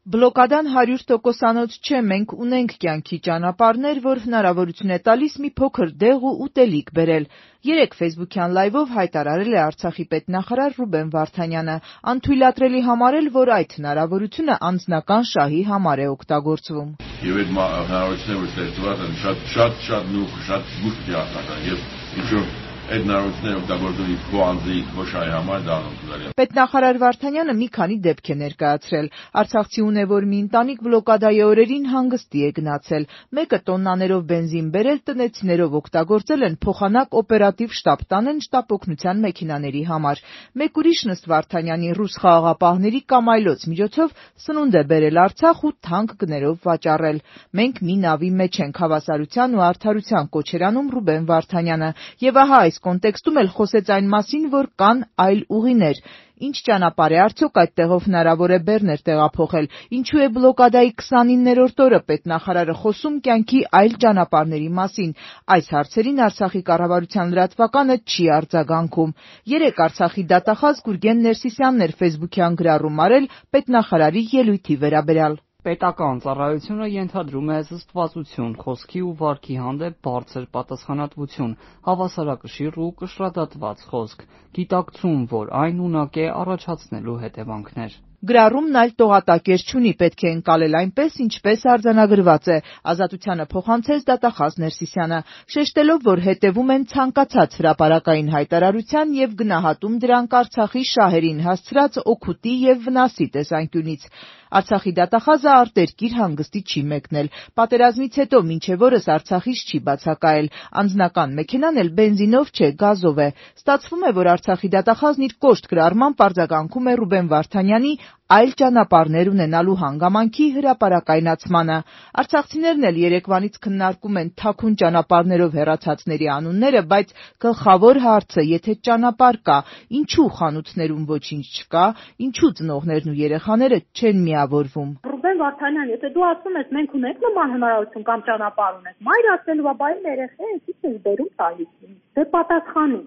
Բլոկադան 100%-անոց չէ, մենք ունենք կյանքի ճանապարհներ, որ հնարավորություն է տալիս մի փոքր դեղ ու ուտելիք բերել։ Երեկ ֆեյսբուքյան լայվով հայտարարել է Արցախի պետնախարար Ռուբեն Վարդանյանը, անթույլատրելի համարել, որ այդ հնարավորությունը անձնական շահի համար է օգտագործվում։ Եվ այդ հնարավորությունները, որ ստեղծված են, շատ նուխ, շատ զգուշ դիակնական եւ ինչ-որ այդ հնարավորությունները օգտագործողի քո անձի քո շահի համար դա անօգտակար է։ Պետնախարար Վարդանյանը մի քանի դեպք է ներկայացրել։ Արցախցի ունևոր մի ընտանիք բլոկադայի օրերին հանգստի է գնացել։ Մեկը տոննաներով բենզին բերել, տնեցիներով օգտագործել են փոխանակ օպերատիվ շտաբ տանեն շտապօգնության մեքենաների համար։ Մեկ ուրիշն ըստ Վարդանյանի ռուս խաղաղապահների կամ այլոց միջոցով սնունդ է բերել Արցախ ու թանկ գներով վաճառել։ Մենք մի նավի մեջ ենք, հավասարության ու արդարության կոչ էր անում Ռուբեն Վարդանյանը։ Եվ ահա այս կոնտեքստում էլ խոսեց այն մասին, որ կան այլ ուղիներ։ Ինչ ճանապարհ է արդյոք այդտեղով հնարավոր է բեռներ տեղափոխել։ Ինչու է բլոկադայի 29-րդ օրը պետնախարարը խոսում կյանքի այլ ճանապարհների մասին։ Այս հարցերին Արցախի կառավարության լրատվականը չի արձագանքում։ Երեկ Արցախի դատախազ Գուրգեն Ներսիսյանն էր ֆեյսբուքյան գրառում արել պետնախարարի ելույթի վերաբերյալ։ Պետական ծառայությունը ենթադրում է զսպվածություն, խոսքի ու վարքի հանդեպ բարձր պատասխանատվություն, հավասարակշիռ ու կշռադատված խոսք, գիտակցում, որ այն ունակ է առաջացնելու հետևանքներ։ Գրառումն այլ տողատակեր չունի, պետք է ընկալել այնպես, ինչպես արձանագրված է, Ազատությանը փոխանցեց դատախազ Ներսիսյանը, շեշտելով, որ հետևում են ցանկացած հրապարակային հայտարարության եւ գնահատում դրանք Արցախի շահերին հասցրած օգուտի եւ վնասի տեսանկյունից։ Արցախի դատախազը արտերկիր հանգստի չի մեկնել։ Պատերազմից հետո մինչև օրս Արցախից չի բացակայել։ Անձնական մեքենան էլ բենզինով չէ, գազով է։ Ստացվում է, որ Արցախի դատախազն իր կոշտ գրառմամբ արձագանքում է Ռուբեն Վարդանյանի այլ ճանապարհներ ունենալու հանգամանքի հրապարակայնացմանը։ Արցախցիներն էլ երեկվանից քննարկում են թաքուն ճանապարհներով հեռացածների անունները, բայց գլխավոր հարցը, եթե ճանապարհ կա, ինչու խանութներում ոչինչ չկա, ինչու ծնողներն ու երեխաները չեն միավորվում։ Ռուբեն Վարդանյան, եթե դու ասում ես մենք ունենք նման հնարավորություն կամ ճանապարհ ունենք, մայր ասելու բա այն երեխա էս ինչ բերում տալիս։ Դե պատասխանի։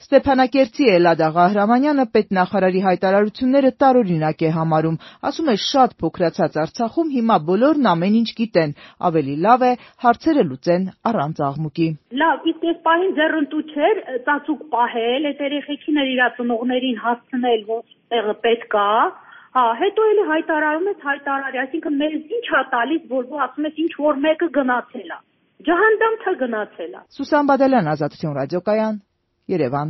Ստեփանակերտի Էլադա Ղահրամանյանը պետնախարարի հայտարարությունները տարօրինակ է համարում, ասում է շատ փոքրացած Արցախում հիմա բոլորն ամեն ինչ գիտեն, ավելի լավ է հարցերը լուծեն առանց աղմուկի։ Լավ, իսկ այս պահին ձեռնտու չէր ծածուկ պահել, այդ երեխեքին իր ծնողներին հասցնել որտեղը պետք է, հետո էլի հայտարարում ես հայտարարի, այսինքն մեզ ինչ է տալիս, որ դու ասում ես ինչ որ մեկը գնացել է։ Ջահանդամ թե գնացել է։ Սուսան Բադալյան, Ազատություն ռադիոկայան, Երևան։